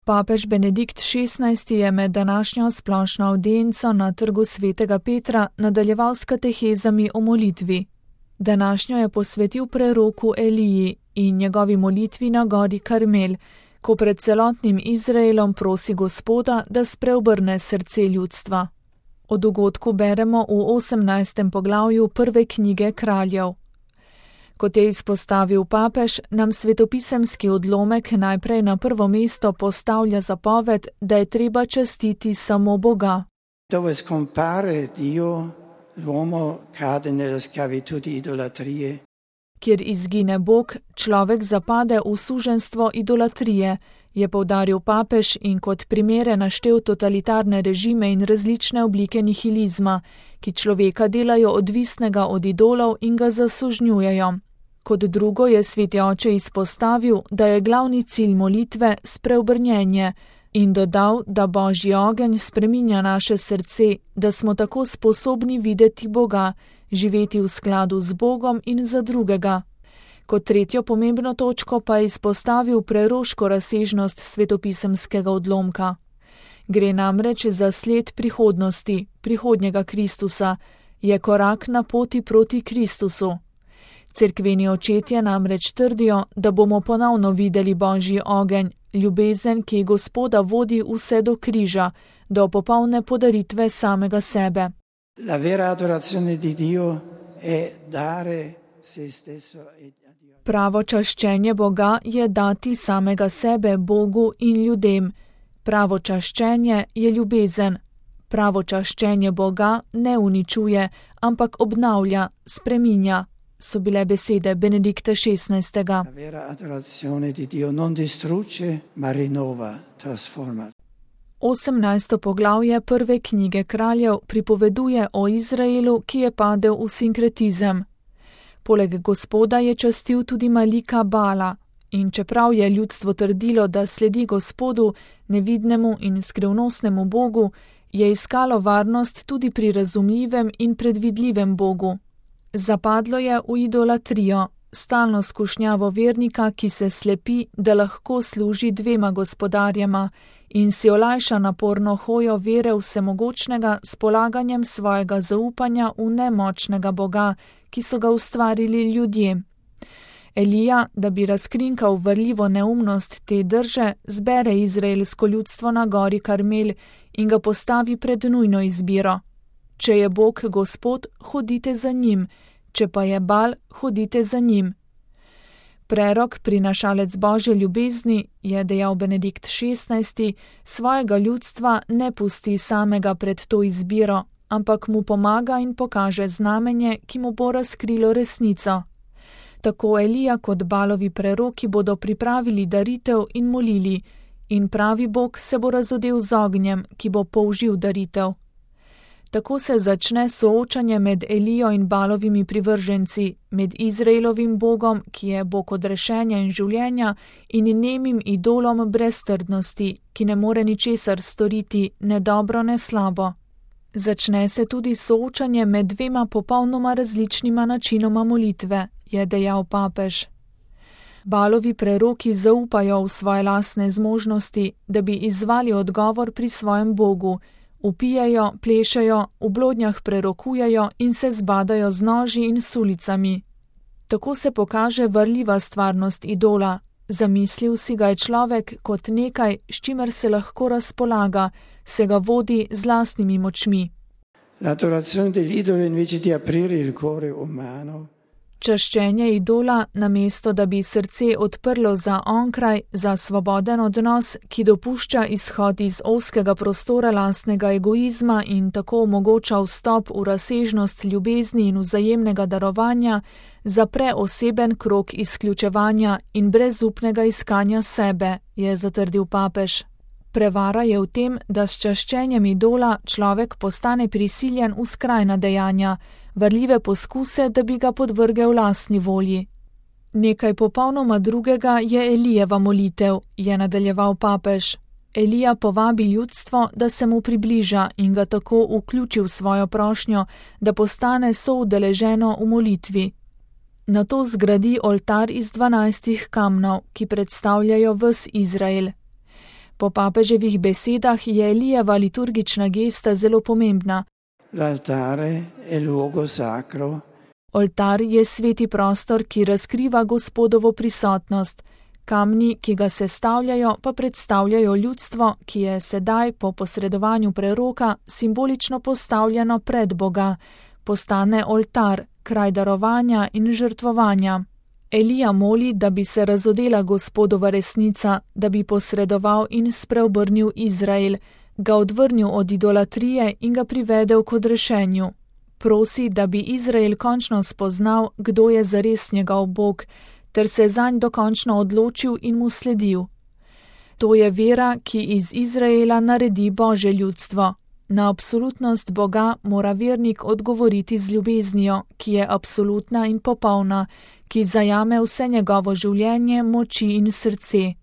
Papež Benedikt XVI je med današnjo splošno avdienco na Trgu svetega Petra nadaljeval s katehezami o molitvi. Današnjo je posvetil preroku Eliji in njegovi molitvi na gori Karmel, ko pred celotnim Izraelom prosi Gospoda, da spreobrne srce ljudstva. O dogodku beremo v 18. poglavju prve knjige Kraljev. Kot je izpostavil papež, nam svetopisemski odlomek najprej na prvo mesto postavlja zapoved, da je treba častiti samo Boga. Dove scompare Dio, l'uomo cade nella schiavitù di idolatrie. Kjer izgine Bog, človek zapade v suženstvo idolatrije, je poudaril papež in kot primere naštel totalitarne režime in različne oblike nihilizma, ki človeka delajo odvisnega od idolov in ga zasužnjujejo. Kot drugo je sveti oče izpostavil, da je glavni cilj molitve spreobrnjenje in dodal, da Božji ogenj spreminja naše srce, da smo tako sposobni videti Boga, živeti v skladu z Bogom in za drugega. Kot tretjo pomembno točko pa je izpostavil preroško razsežnost svetopisemskega odlomka. Gre namreč za sled prihodnosti, prihodnjega Kristusa, je korak na poti proti Kristusu. Cerkveni očetje namreč trdijo, da bomo ponovno videli Božji ogenj, ljubezen, ki Gospoda vodi vse do križa, do popolne podaritve samega sebe. La vera adorazione di Dio è dare se stesso e a Dio. Pravo čaščenje Boga je dati samega sebe Bogu in ljudem. Pravo čaščenje je ljubezen. Pravo čaščenje Boga ne uničuje, ampak obnavlja, spreminja, so bile besede Benedikta XVI. La vera adorazione di Dio non distrugge, ma rinnova, trasforma. 18. poglavje prve knjige Kraljev pripoveduje o Izraelu, ki je padel v sinkretizem. Poleg Gospoda je častil tudi Malika Bala in čeprav je ljudstvo trdilo, da sledi Gospodu, nevidnemu in skrivnostnemu Bogu, je iskalo varnost tudi pri razumljivem in predvidljivem Bogu. Zapadlo je v idolatrijo, stalno skušnjavo vernika, ki se slepi, da lahko služi dvema gospodarjema in si olajša naporno hojo vere vsemogočnega s polaganjem svojega zaupanja v nemočnega Boga, ki so ga ustvarili ljudje. Elija, da bi razkrinkal varljivo neumnost te drže, zbere izraelsko ljudstvo na gori Karmel in ga postavi pred nujno izbiro. Če je Bog Gospod, hodite za njim, če pa je Bal, hodite za njim. Prerok, prinašalec Božje ljubezni, je dejal Benedikt XVI, svojega ljudstva ne pusti samega pred to izbiro, ampak mu pomaga in pokaže znamenje, ki mu bo razkrilo resnico. Tako Elija kot Balovi preroki bodo pripravili daritev in molili, in pravi Bog se bo razodel z ognjem, ki bo použil daritev. Tako se začne soočanje med Elijo in Balovimi privrženci, med Izraelovim Bogom, ki je Bog odrešenja in življenja, in nemim idolom brez trdnosti, ki ne more ničesar storiti, ne dobro, ne slabo. Začne se tudi soočanje med dvema popolnoma različnima načinoma molitve, je dejal papež. Balovi preroki zaupajo v svoje lastne zmožnosti, da bi izzvali odgovor pri svojem Bogu, vpijajo, plešejo, v blodnjah prerokujejo in se zbadajo z noži in sulicami. Tako se pokaže varljiva stvarnost idola. Zamislil si ga je človek kot nekaj, s čimer se lahko razpolaga, se ga vodi z lastnimi močmi. L'adorazione dell'idolo invece di aprire il cuore umano. Čaščenje idola, namesto da bi srce odprlo za onkraj, za svoboden odnos, ki dopušča izhod iz ozkega prostora lastnega egoizma in tako omogoča vstop v razsežnost ljubezni in vzajemnega darovanja, zapre oseben krog izključevanja in brezupnega iskanja sebe, je zatrdil papež. Prevara je v tem, da s čaščenjem idola človek postane prisiljen v skrajna dejanja, varljive poskuse, da bi ga podvrgel lastni volji. Nekaj popolnoma drugega je Elijeva molitev, je nadaljeval papež. Elija povabi ljudstvo, da se mu približa in ga tako vključi v svojo prošnjo, da postane soudeleženo v molitvi. Nato zgradi oltar iz 12 kamnov, ki predstavljajo ves Izrael. Po papeževih besedah je Elijeva liturgična gesta zelo pomembna. L'altare è luogo sacro. Oltar je sveti prostor, ki razkriva Gospodovo prisotnost. Kamni, ki ga sestavljajo, pa predstavljajo ljudstvo, ki je sedaj po posredovanju preroka simbolično postavljeno pred Boga. Postane oltar, kraj darovanja in žrtvovanja. Elija moli, da bi se razodela Gospodova resnica, da bi posredoval in spreobrnil Izrael, ga odvrnil od idolatrije in ga privedel k odrešenju. Prosi, da bi Izrael končno spoznal, kdo je zares njegov Bog, ter se zanj dokončno odločil in mu sledil. To je vera, ki iz Izraela naredi Božje ljudstvo. Na absolutnost Boga mora vernik odgovoriti z ljubeznijo, ki je absolutna in popolna, ki zajame vse njegovo življenje, moči in srce.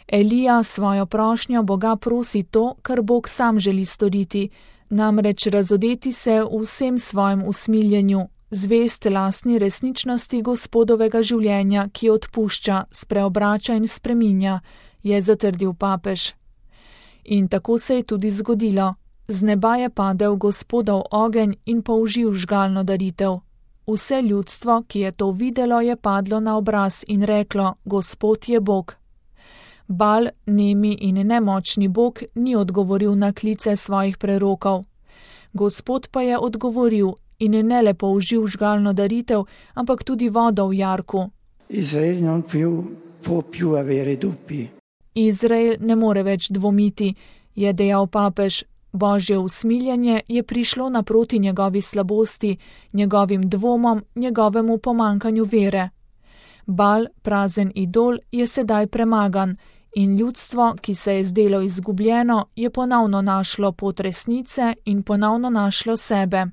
Elija svojo prošnjo Boga prosi to, kar Bog sam želi storiti, namreč razodeti se v vsem svojem usmiljenju, zvest lastni resničnosti Gospodovega življenja, ki odpušča, spreobrača in spreminja, je zatrdil papež. In tako se je tudi zgodilo. Z neba je padel Gospodov ogenj in použil žgalno daritev. Vse ljudstvo, ki je to videlo, je padlo na obraz in reklo: Gospod je Bog. Bal, nemi in nemočni Bog, ni odgovoril na klice svojih prerokov. Gospod pa je odgovoril in ne le použil žgalno daritev, ampak tudi vodo v jarku. Izrael ne more več dvomiti, je dejal papež. Božje usmiljenje je prišlo naproti njegovi slabosti, njegovim dvomom, njegovemu pomankanju vere. Bal, prazen idol, je sedaj premagan in ljudstvo, ki se je zdelo izgubljeno, je ponovno našlo pot resnice in ponovno našlo sebe.